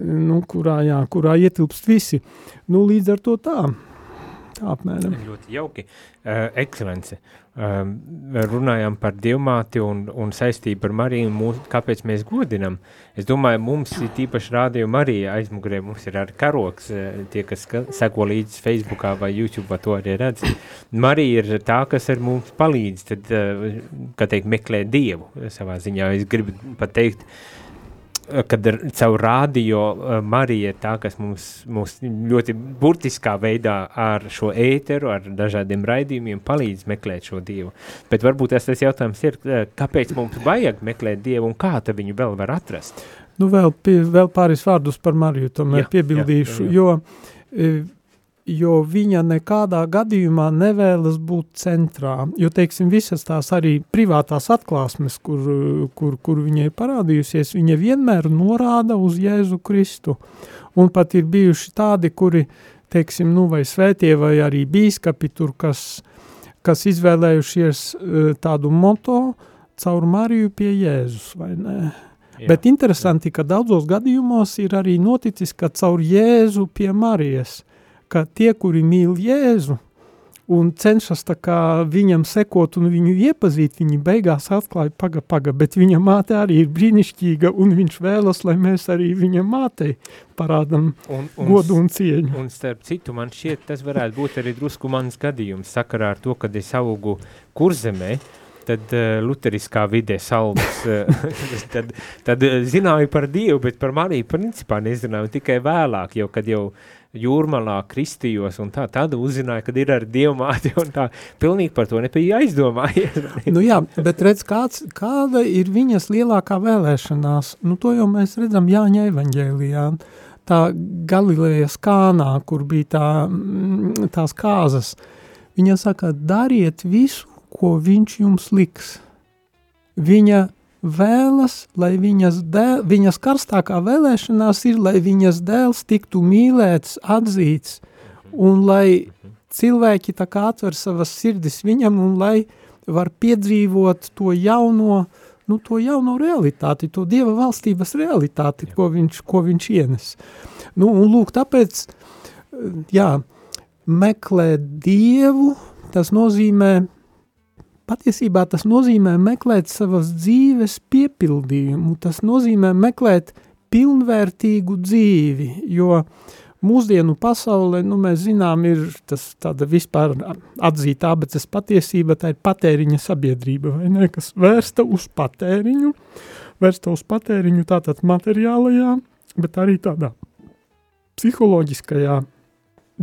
nu, kurā, jā, kurā ietilpst visi. Nu, līdz ar to tā, tā apmēram. Ļoti jauki. Uh, ekscelence. Um, runājām par Dievmāti un, un saistību ar Mariju, mūs, kāpēc mēs godinam. Es domāju, mums ir tīpaši rādīju Marija aizmugurē, mums ir arī karoks, tie, kas seko līdz Facebookā vai YouTube, to arī redz. Marija ir tā, kas ar mums palīdz, tad, kā teikt, meklē Dievu savā ziņā. Es gribu pat teikt, kad ar, caur rādio Marija ir tā, kas mums, mums ļoti burtiskā veidā ar šo ēteru, ar dažādiem raidījumiem palīdz meklēt šo Dievu. Bet varbūt tas, tas jautājums ir, kāpēc mums vajag meklēt Dievu un kā tad viņu vēl var atrast? Nu, vēl, pie, vēl pāris vārdus par Mariju, tomēr Jā, piebildīšu, jā, jā, jā. jo... jo viņa nekādā gadījumā nevēlas būt centrā, jo, teiksim, visas tās arī privātās atklāsmes, kur, kur, kur viņai parādījusies, viņa vienmēr norāda uz Jēzu Kristu, un pat ir bijuši tādi, kuri, teiksim, nu, vai svētie, vai arī bīskapi tur, kas, kas izvēlējušies tādu moto caur Mariju pie Jēzus, vai ne? Jā, Bet interesanti, jā. ka daudzos gadījumos ir arī noticis, ka caur Jēzu pie Marijas, ka tie, kuri mīl Jēzu un cenšas tā kā viņam sekot un viņu iepazīt, viņi beigās atklāja paga, paga, bet viņa māte arī ir brīnišķīga un viņš vēlas, lai mēs arī viņa mātei parādam un, un, godu un cieņu. Un starp citu, man šķiet, tas varētu būt arī drusku mans gadījums sakarā ar to, kad es augu Kurzemē, tad uh, luteriskā vidē saldas, uh, tad, tad uh, zināju par Dievu, bet par Mariju principā nezināju tikai vēlāk, jo kad jau Jūrmalā kristījos un tā, tad uzzināju, kad ir ar Dievmāti un tā, pilnīgi par to nebija aizdomājies. Nu jā, bet redz, kāds, kāda ir viņas lielākā vēlēšanās, nu to jau mēs redzam Jāņa evaņģēlijā, tā Galilejas Kānā, kur bija tā, tās kāzas, viņa saka, dariet visu, ko viņš jums liks. Viņa vēlas, lai viņas, dēl, viņas karstākā vēlēšanās ir, lai viņas dēls tiktu mīlēts, atzīts, un lai cilvēki tā kā atver savas sirdis viņam, un lai var piedzīvot to jauno, nu, to jauno realitāti, to Dieva valstības realitāti, ko viņš, ko viņš ienes. Nu, un lūk, tāpēc, jā, meklēt Dievu, tas nozīmē, patiesībā tas nozīmē meklēt savas dzīves piepildījumu, tas nozīmē meklēt pilnvērtīgu dzīvi, jo mūsdienu pasaulē, nu, mēs zinām, ir tas tāda vispār atzīta abeces patiesība, tā ir patēriņa sabiedrība, vai ne, kas vērsta uz patēriņu, vērsta uz patēriņu tātad materiālajā, bet arī tādā psiholoģiskajā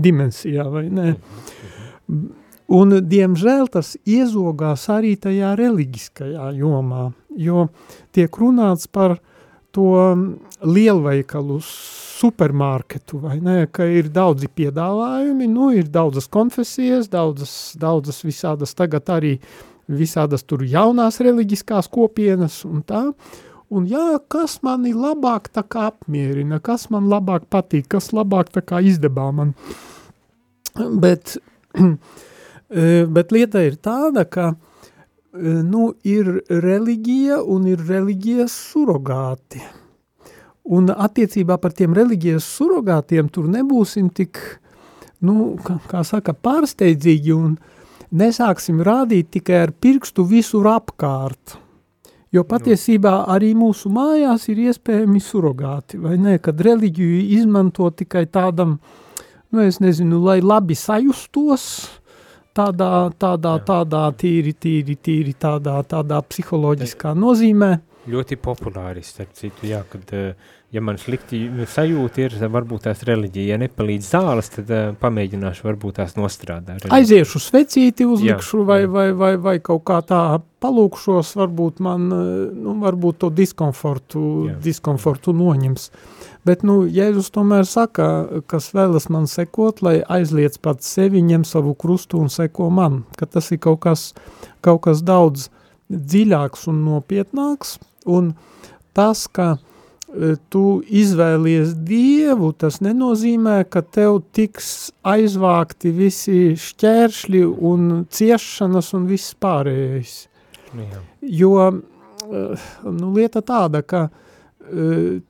dimensijā, vai ne. Un, diemžēl, tas iezogās arī tajā reliģiskajā jomā, jo tiek runāts par to lielveikalu supermarketu, vai ne, ka ir daudzi piedāvājumi, nu, ir daudzas konfesijas, daudzas, daudzas visādas tagad arī visādas tur jaunās reliģiskās kopienas un tā, un jā, kas mani labāk tā kā apmierina, kas man labāk patīk, kas labāk tā kā izdebā man. Bet, bet lieta ir tāda, ka nu, ir reliģija un ir reliģijas surogāti. Un attiecībā par tiem reliģijas surogātiem tur nebūsim tik, nu, kā, kā saka, pārsteidzīgi un nesāksim rādīt tikai ar pirkstu visur apkārt. Jo patiesībā arī mūsu mājās ir iespējami surogāti, vai ne, kad reliģiju izmanto tikai tādam, nu, es nezinu, lai labi sajustos, tādā, tādā, tādā tīri, tīri, tīri, tādā, tādā psiholoģiskā nozīmē. Ļoti populāri, starp citu, jā, kad, ja man slikti sajūta ir, varbūt tās reliģija, ja nepalīdz zāles, tad uh, pamēģināšu varbūt tās nostrādā. Reliģija. Aiziešu svecīti uzlikšu jā, vai, jā. vai, vai, vai kaut kā tā palūkšos, varbūt man, nu, varbūt to diskomfortu, jā. diskomfortu noņems. Bet, nu, Jēzus tomēr saka, kas vēlas man sekot, lai aizliec pats sevi, ņem savu krustu un seko man, ka tas ir kaut kas, kaut kas daudz dziļāks un nopietnāks, un tas, ka e, tu izvēlies Dievu, tas nenozīmē, ka tev tiks aizvākti visi šķēršļi un ciešanas un viss pārējais. Jā. Jo, e, nu, lieta tāda, ka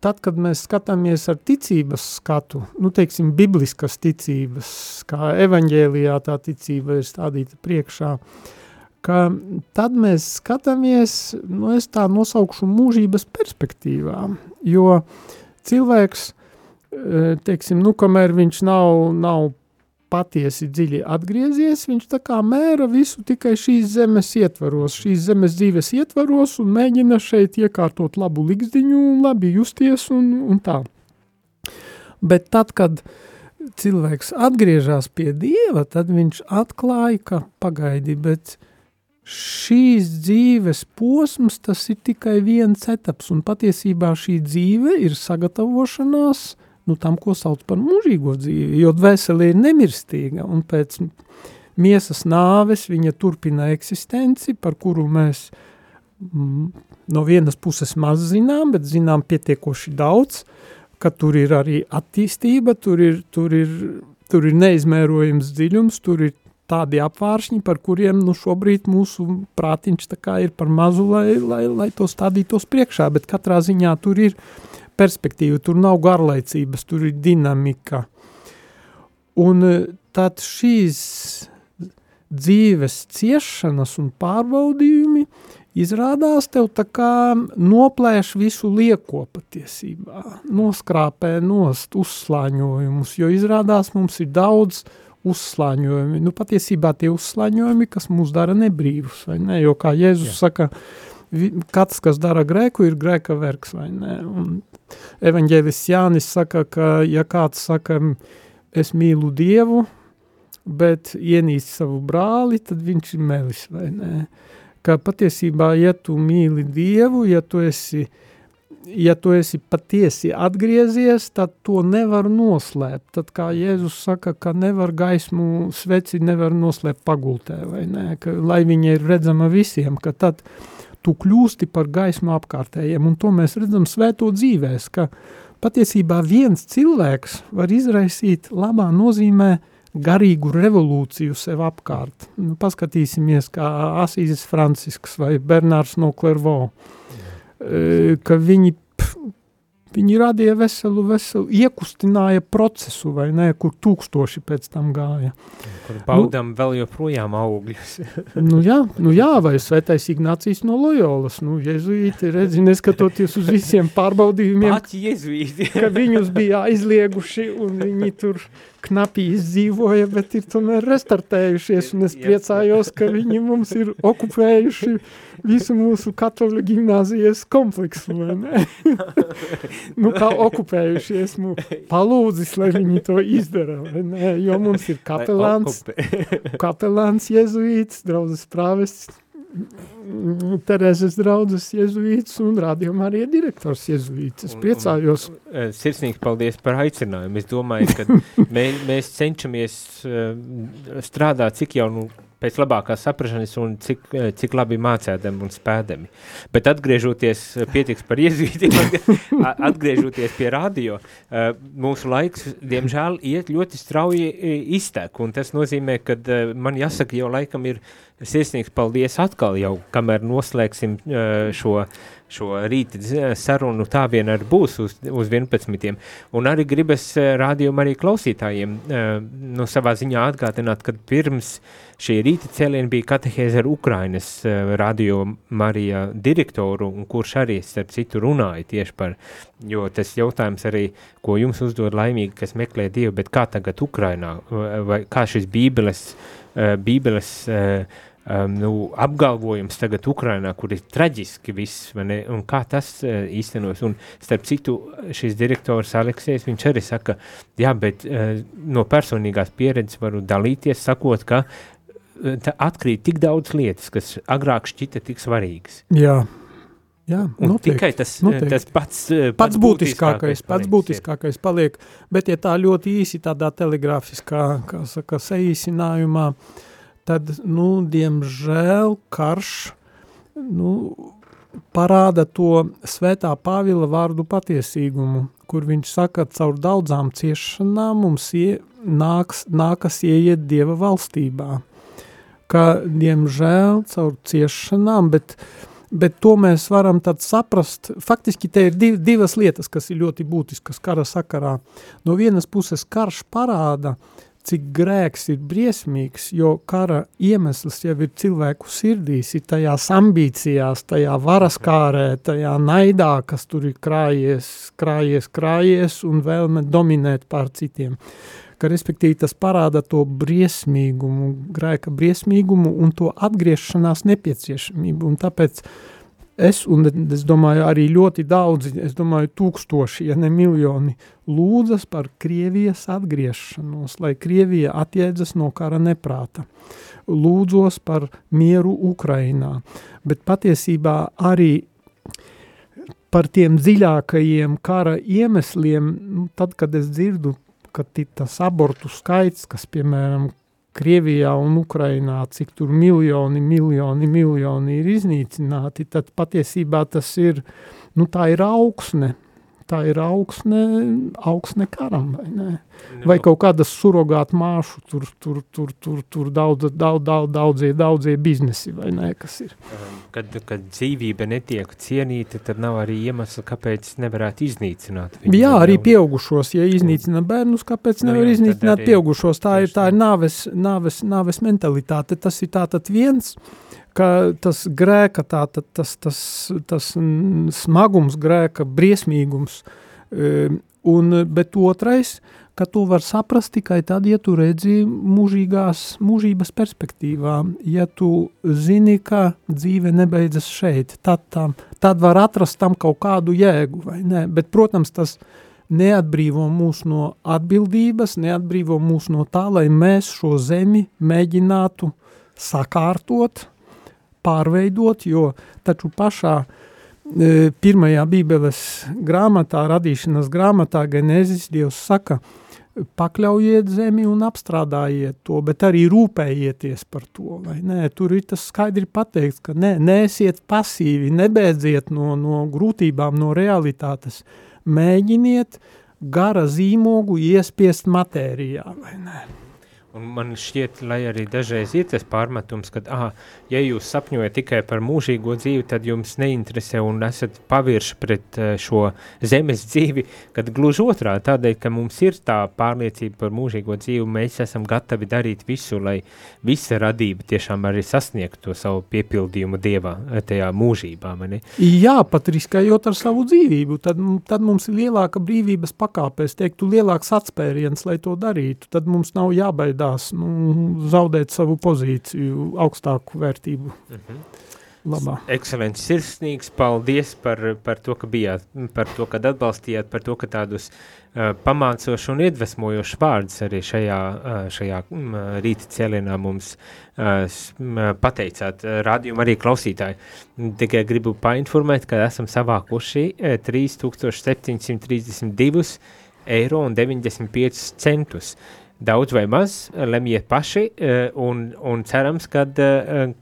tad, kad mēs skatāmies ar ticības skatu, nu, teiksim, bibliskas ticības, kā evaņģēlijā tā ticība ir stādīta priekšā, ka tad mēs skatāmies, nu, es tā nosaukšu mūžības perspektīvā, jo cilvēks, teiksim, nu, kamēr viņš nav, nav patiesi dziļi atgriezies, viņš tā kā mēra visu tikai šīs zemes ietvaros, šīs zemes dzīves ietvaros un mēģina šeit iekārtot labu likzdiņu un labi justies un, un tā. Bet tad, kad cilvēks atgriežas pie Dieva, tad viņš atklāja, ka pagaidi, bet šīs dzīves posms, tas ir tikai viens etaps, un patiesībā šī dzīve ir sagatavošanās nu, tam, ko sauc par mūžīgo dzīvi, jo dvēsele ir nemirstīga, un pēc miesas nāves viņa turpina eksistenci, par kuru mēs mm, no vienas puses maz zinām, bet zinām pietiekoši daudz, ka tur ir arī attīstība, tur ir, tur ir, tur ir neizmērojams dziļums, tur ir tādi apvāršņi, par kuriem nu, šobrīd mūsu prātiņš tā kā ir par mazu, lai, lai, lai to stādītos priekšā, bet katrā ziņā tur ir perspektīva, tur nav garlaicības, tur ir dinamika. Un tad šīs dzīves ciešanas un pārbaudījumi izrādās tev tā kā noplēš visu lieko patiesībā, noskrāpē nost uzslāņojumus, jo izrādās mums ir daudz uzslāņojumi. Nu, patiesībā tie uzslāņojumi, kas mūs dara nebrīvus, vai ne? Jo kā Jēzus Jā. Saka, katrs, kas dara grēku, ir grēka vergs, vai ne? Un evaņģēlists Jānis saka, ka ja kāds saka, es mīlu Dievu, bet ienīst savu brāli, tad viņš ir melis, vai ne? Ka patiesībā, ja tu mīli Dievu, ja tu esi, ja tu esi patiesi atgriezies, tad to nevar noslēpt. Tad, kā Jēzus saka, ka nevar gaismu sveci, nevar noslēpt pagultē, vai ne? Ka, lai viņa ir redzama visiem, ka tad tu kļūsti par gaismu apkārtējiem, un to mēs redzam svēto dzīvēs, ka patiesībā viens cilvēks var izraisīt labā nozīmē garīgu revolūciju sev apkārt. Nu, paskatīsimies, kā Asīzes Francisks vai Bernārs no Clairvaux, ka viņi pf, viņi radīja veselu, veselu, iekustināja procesu, vai ne, kur tūkstoši pēc tam gāja. Kur baudām nu, vēl joprojām augļus. nu jā, nu jā, vai Svētais Ignācijs no Lojolas, nu jezuīti, redzi, neskatoties uz visiem pārbaudījumiem, Pati jezuīti. ka viņus bija aizlieguši un viņi tur knapi izdzīvoja, bet ir tomēr restartējušies, un es priecājos, ka viņi mums ir okupējuši visu mūsu katoļu gimnāzijas kompleksu, vai ne? nu, kā okupējuši, esmu palūdzis, lai viņi to izdara, vai ne? Jo mums ir kapelāns, kapelāns jezuīts, draudzes prāvests, Terezes draudzes jezuīts un rādījumā arī direktors jezuīts. Es priecājos. Un, un, sirsnīgs paldies par aicinājumu. Es domāju, ka mē, mēs cenšamies strādāt cik jau nu, pēc labākās saprašanas un cik, cik labi mācēdami un spēdami. Bet atgriežoties, pietiks par jezuītiem, atgriežoties pie radio, mūsu laiks, diemžēl, iet ļoti strauji iztek, un tas nozīmē, ka man jāsaka, jau laikam ir sirsnīgs paldies atkal jau, kamēr noslēgsim šo, šo rīta sarunu, tā vien arī būs uz, uz vienpadsmitiem. Un arī gribas rādījumu arī klausītājiem nu, savā ziņā atgādināt, kad pirms šī rīta cēliena bija katehēze ar Ukrainas radio Marija direktoru, un kurš arī starp citu runāja tieši par, jo tas jautājums arī, ko jums uzdod laimīgi, kas meklē Dievu, bet kā tagad Ukrainā, vai kā šis bībeles, bībeles Um, nu, apgalvojums tagad Ukrainā, kur ir traģiski viss, ne, un kā tas uh, īstenos, un starp citu šis direktors Aleksejs, viņš arī saka, jā, bet uh, no personīgās pieredzes varu dalīties, sakot, ka uh, atkrīt tik daudz lietas, kas agrāk šķita tik svarīgas. Jā. Jā, un noteikti, tikai tas, noteikti. tas pats, pats, pats būtiskākais, pats būtiskākais paliek, bet ja tā ļoti īsi tādā telegrāfiskā, kā saka, saīsinājumā, tad, nu, diemžēl karš, nu, parāda to Svētā Pāvila vārdu patiesīgumu, kur viņš saka, caur daudzām ciešanām mums ie, nāks, nākas ieiet Dieva valstībā. Ka, diemžēl, caur ciešanām, bet, bet to mēs varam tad saprast, faktiski te ir div, divas lietas, kas ir ļoti būtiskas kara sakarā. No vienas puses karš parāda, cik grēks ir briesmīgs, jo kara iemesls jau ir cilvēku sirdīs, ir tajās ambīcijās, tajā varaskārē, tajā naidā, kas tur ir krājies, krājies, krājies un vēlme dominēt pār citiem. Ka, respektīvi, tas parāda to briesmīgumu, grēka briesmīgumu un to atgriešanās nepieciešamību. Un tāpēc es, un es domāju, arī ļoti daudzi, es domāju, tūkstoši, ja ne miljoni, lūdzas par Krievijas atgriešanos, lai Krievija atjēdzas no kara neprāta. Lūdzos par mieru Ukrainā, bet patiesībā arī par tiem dziļākajiem kara iemesliem, nu, tad, kad es dzirdu, ka tas abortu skaits, kas, piemēram, Krievijā un Ukrainā, cik tur miljoni, miljoni, miljoni ir iznīcināti, tad patiesībā tas ir, nu tā ir augsne, tā ir augsne, augsne karam, vai ne? Vai kaut kādas surogāt māšu, tur, tur, tur, tur, tur daudz, daudz, daudz, daudzie, daudzie biznesi, vai ne, kas ir. Kad, kad dzīvība netiek cienīta, tad nav arī iemesla, kāpēc nevarētu iznīcināt viņu. Jā, arī pieaugušos, ja iznīcina bērnus, kāpēc nevar no jā, iznīcināt pieaugušos, tā ir, tā ir nāves, nāves, nāves mentalitāte, tas ir tātad viens, ka tas grēka, tātad tas, tas, tas smagums grēka, briesmīgums, un, bet otrais, ka tu var saprast tikai tad, ja tu redzi mūžīgās, mūžības perspektīvā, ja tu zini, ka dzīve nebeidzas šeit, tad, tam, tad var atrast tam kaut kādu jēgu, vai ne? Bet, protams, tas neatbrīvo mūs no atbildības, neatbrīvo mūs no tā, lai mēs šo zemi mēģinātu sakārtot, pārveidot, jo taču pašā e, pirmajā Bībeles grāmatā, radīšanas grāmatā, Genēzis, Dievs saka, pakļaujiet zemi un apstrādājiet to, bet arī rūpējieties par to, vai nē, tur ir tas skaidri pateikts, ka ne, neesiet pasīvi, nebēdziet no, no grūtībām, no realitātes, mēģiniet gara zīmogu iespiest matērijā, vai nē. Un man šķiet, lai arī dažreiz ir tas pārmetums, ka, aha, ja jūs sapņojat tikai par mūžīgo dzīvi, tad jums neinteresē un esat pavirši pret šo zemes dzīvi, kad gluži otrā, tādēļ, ka mums ir tā pārliecība par mūžīgo dzīvi, mēs esam gatavi darīt visu, lai visa radība tiešām arī sasniegtu to savu piepildījumu Dievā, tajā mūžībā, mani? Jā, pat riskējot ar savu dzīvību, tad, tad mums ir lielāka brīvības pakāpēs, teiktu, lielāks atspēriens, lai to darītu, tad mums nav jābaidās nu, zaudēt savu pozīciju, augstāku vērtību. Mhm. Labā. Ekscelents, sirsnīgs, paldies par, par to, ka bijāt, par to, kad atbalstījāt, par to, ka tādus uh, pamācošu un iedvesmojošu vārdus arī šajā, uh, šajā um, rīta cēlienā mums uh, pateicāt. Rādījuma arī klausītāji. Tikai gribu painformēt, ka esam savākuši uh, trīs tūkstoši septiņi simti trīsdesmit divi eiro un deviņdesmit pieci centus. Daudz vai maz, lemjiet paši un, un cerams, kad,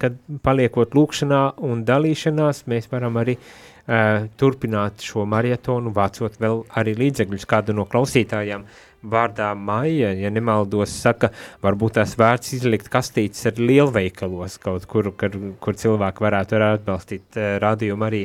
kad paliekot lūkšanā un dalīšanās, mēs varam arī uh, turpināt šo marietonu, vācot vēl arī līdzekļus. Kādu no klausītājām vārdā Maija, ja nemaldos, saka, varbūt tās vērts izlikt kastītes ar lielveikalos kaut kur, kur, kur cilvēki varētu arī atbalstīt uh, rādījumu arī.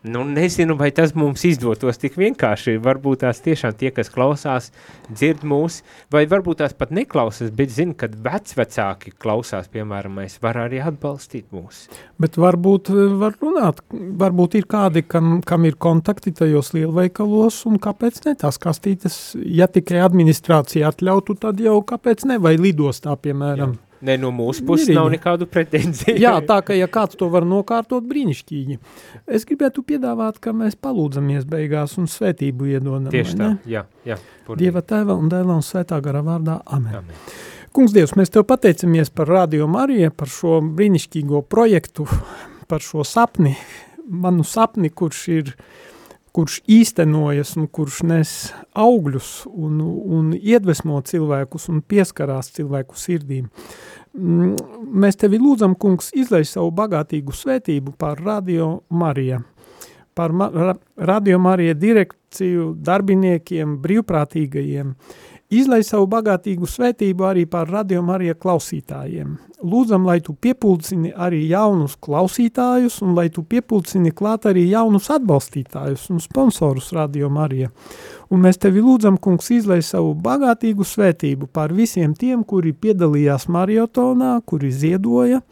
Nu, nezinu, vai tas mums izdotos tik vienkārši, varbūt tās tiešām tie, kas klausās, dzird mūs, vai varbūt tās pat neklausās, bet zina, kad vecvecāki klausās, piemēram, mēs var arī atbalstīt mūs. Bet varbūt var runāt, varbūt ir kādi, kam, kam ir kontakti tajos lielveikalos, un kāpēc ne tās kastītes, ja tikai administrācija atļautu, tad jau kāpēc ne, vai lidostā, piemēram. Jā. Ne, no mūsu puses nav nekādu pretenziju. Jā, tā, ka ja kāds to var nokārtot, brīnišķīgi. Es gribētu piedāvāt, ka mēs palūdzamies beigās un svētību iedodam. Tieši tā, jā, jā. Purdīgi. Dieva Tēva un Dēla un Svētā gara vārdā. Amen. Amen. Kungs Dievs, mēs Tev pateicamies par Radio Mariju, par šo brīnišķīgo projektu, par šo sapni, manu sapni, kurš ir kurš īstenojas un kurš nes augļus un, un iedvesmo cilvēkus un pieskarās cilvēku sirdīm. Mēs Tevi lūdzam, Kungs, izlej savu bagātīgu svētību par Radio Mariju, par ma Radio Mariju direkciju, darbiniekiem, brīvprātīgajiem. Izlej savu bagātīgu svētību arī par Radio Mariju klausītājiem. Lūdzam, lai Tu piepulcini arī jaunus klausītājus un lai Tu piepulcini klāt arī jaunus atbalstītājus un sponsorus Radio Mariju. Un mēs Tevi lūdzam, Kungs, izlej savu bagātīgu svētību par visiem tiem, kuri piedalījās mariotonā, kuri ziedoja,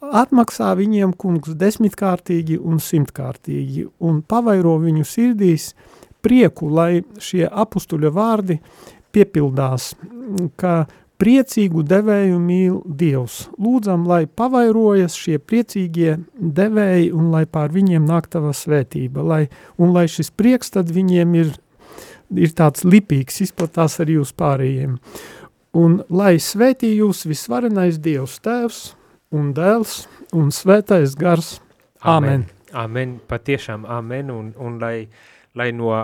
atmaksā viņiem, Kungs, desmitkārtīgi un simtkārtīgi un pavairo viņu sirdīs prieku, lai šie apustuļa vārdi piepildās, ka priecīgu devēju mīl Dievs. Lūdzam, lai pavairojas šie priecīgie devēji un lai pār viņiem nāk Tava svētība, lai, un lai šis prieks tad viņiem ir, ir tāds lipīgs, izplatās arī uz pārējiem. Un lai svētī jūs visvarenais Dievs Tēvs un Dēls un Svētais Gars. Amen. Amen, amen. Patiešām amen, un, un lai, lai no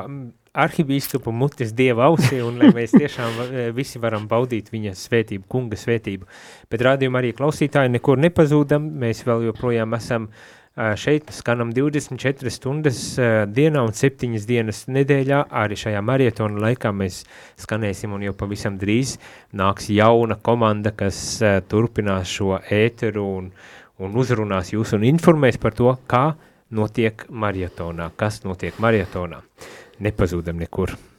arhibīskapu mutes Dieva ausī, un lai mēs tiešām visi varam baudīt viņa svētību, kunga svētību. Bet rādījumā arī klausītāji nekur nepazūdam, mēs vēl joprojām esam šeit, skanam divdesmit četras stundas dienā un septiņas dienas nedēļā, arī šajā marietona laikā mēs skanēsim, un jau pavisam drīz nāks jauna komanda, kas turpinās šo ēteru un, un uzrunās jūs un informēs par to, kā notiek marietonā, kas notiek marietonā. Nepazūdam nekur.